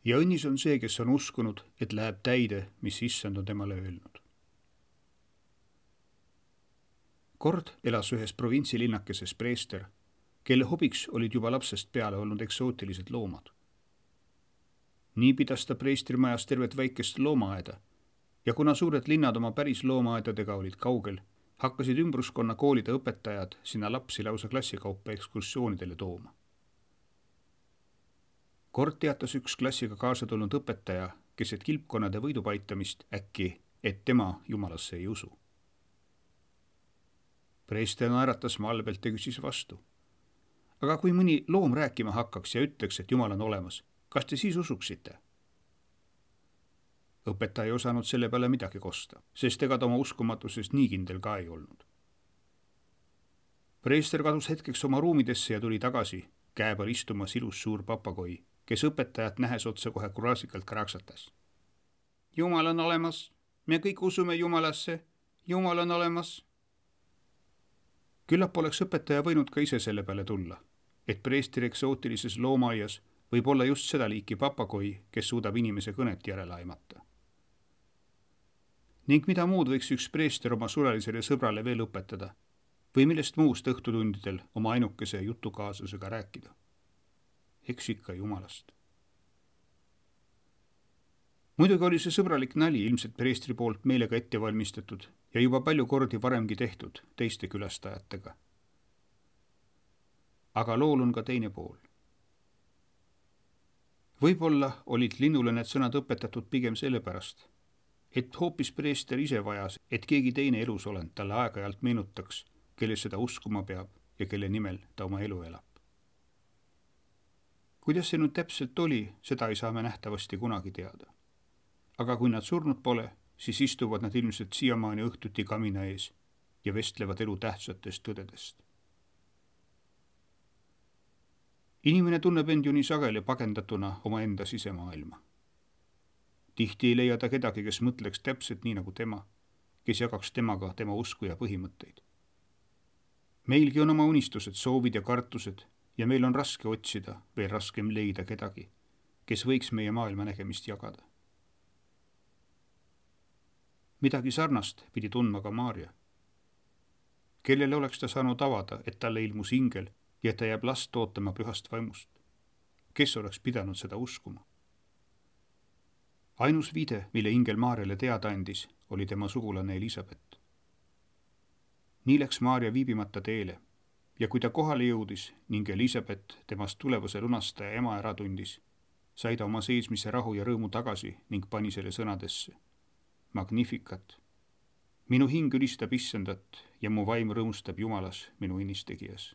Ja õnnis on see, kes on uskunud, et läheb täide, mis issand on temale öelnud. Kord elas ühes provintsilinnakeses preester, kelle hobiks olid juba lapsest peale olnud eksootilised loomad. Nii pidas ta preestrimajas tervet väikest loomaaeda ja kuna suured linnad oma päris loomaaedadega olid kaugel, hakkasid ümbruskonna koolide õpetajad sinna lapsi lausa klassikaupa ekskursioonidele tooma. Kord teatas üks klassiga kaasa tulnud õpetaja, keset kilpkonnade võidupaitamist äkki, et tema jumalasse ei usu. Preester naeratas malbelt ja küsis vastu. Aga kui mõni loom rääkima hakkaks ja ütleks, et jumal on olemas, kas te siis usuksite? Õpetaja ei osanud selle peale midagi kosta, sest ega ta oma uskumatuses nii kindel ka ei olnud. Preester kadus hetkeks oma ruumidesse ja tuli tagasi, käe peal istumas ilus suur papagoi, kes õpetajat nähes otse kohe kuraasikalt kraksatas. Jumal on olemas, me kõik usume Jumalasse, Jumal on olemas. Küllap oleks õpetaja võinud ka ise selle peale tulla, et preestri eksootilises loomaaias võib olla just seda liiki papagoi, kes suudab inimese kõnet järele aimata. Ning mida muud võiks üks preester oma surelisele sõbrale veel õpetada või millest muust õhtutundidel oma ainukese jutukaaslasega rääkida? Eks ikka Jumalast. Muidugi oli see sõbralik nali ilmselt preestri poolt meelega ette valmistatud ja juba palju kordi varemgi tehtud teiste külastajatega. Aga lool on ka teine pool. Võib-olla olid linnule need sõnad õpetatud pigem sellepärast, et hoopis preester ise vajas, et keegi teine elusolend talle aeg-ajalt meenutaks, kelle seda uskuma peab ja kelle nimel ta oma elu elab. Kuidas see nüüd täpselt oli, seda ei saa me nähtavasti kunagi teada. Aga kui nad surnud pole, siis istuvad nad ilmselt siiamaani õhtuti kamina ees ja vestlevad elu tähtsatest tõdedest. Inimene tunneb end ju nii sageli pagendatuna oma enda sisemaailma. Tihti ei leia ta kedagi, kes mõtleks täpselt nii nagu tema, kes jagaks temaga tema usku ja põhimõtteid. Meilgi on oma unistused, soovid ja kartused ja meil on raske otsida, veel raskem leida kedagi, kes võiks meie maailma nägemist jagada. Midagi sarnast pidi tundma ka Maarja. Kellele oleks ta saanud avada, et talle ilmus ingel ja ta jääb last ootama pühast vaimust? Kes oleks pidanud seda uskuma? Ainus viide, mille ingel Maarjale teada andis, oli tema sugulane Elisabeth. Nii läks Maarja viibimata teele ja kui ta kohale jõudis ning Elisabeth temast tulevase lunastaja ema ära tundis, sai ta oma seesmise rahu ja rõõmu tagasi ning pani selle sõnadesse. Magnificat. Minu hing ülistab issandat ja mu vaim rõõmustab Jumalas, minu innistegijas.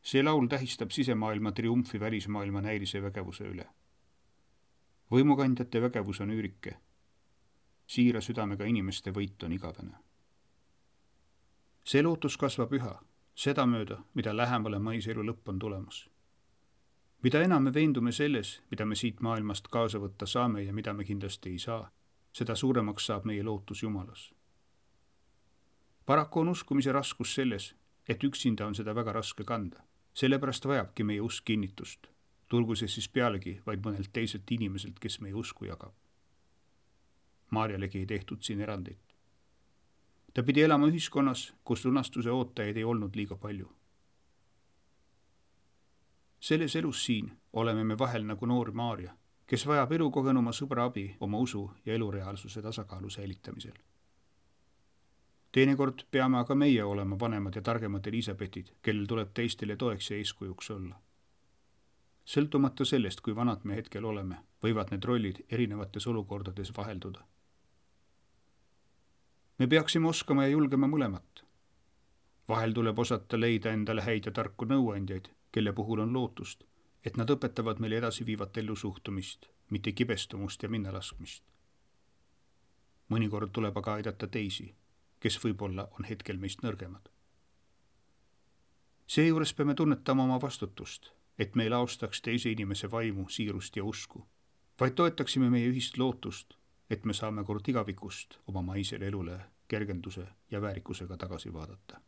See laul tähistab sisemaailma triumfi välismaailma näilise vägevuse üle. Võimukandjate vägevus on üürike. Siira südamega inimeste võit on igavene. See lootus kasvab üha, seda mööda, mida lähemale maise elu lõpp on tulemas. Mida enam me veendume selles, mida me siit maailmast kaasa võtta saame ja mida me kindlasti ei saa, seda suuremaks saab meie lootus Jumalas. Paraku on uskumise raskus selles, et üksinda on seda väga raske kanda. Sellepärast vajabki meie usk kinnitust, tulgu see siis pealegi vaid mõnelt teiselt inimeselt, kes meie usku jagab. Maarjalegi ei tehtud siin erandit. Ta pidi elama ühiskonnas, kus lunastuse ootajaid ei olnud liiga palju. Selles elus siin oleme me vahel nagu noor Maarja, kes vajab elukogenuma sõbra abi oma usu ja elureaalsuse tasakaalu säilitamisel. Teinekord peame aga meie olema vanemad ja targemad Elisabetid, kellel tuleb teistele toeks ja eeskujuks olla. Sõltumata sellest, kui vanad me hetkel oleme, võivad need rollid erinevates olukordades vahelduda. Me peaksime oskama ja julgema mõlemat. Vahel tuleb osata leida endale häid ja tarku nõuandjaid, kelle puhul on lootust, et nad õpetavad meile edasi viivat ellusuhtumist, mitte kibestumust ja minnalaskmist. Mõnikord tuleb aga aidata teisi, kes võib-olla on hetkel meist nõrgemad. Seejuures peame tunnetama oma vastutust, et me ei laostaks teise inimese vaimu, siirust ja usku, vaid toetaksime meie ühist lootust, et me saame kord igavikust oma maisele elule kergenduse ja väärikusega tagasi vaadata.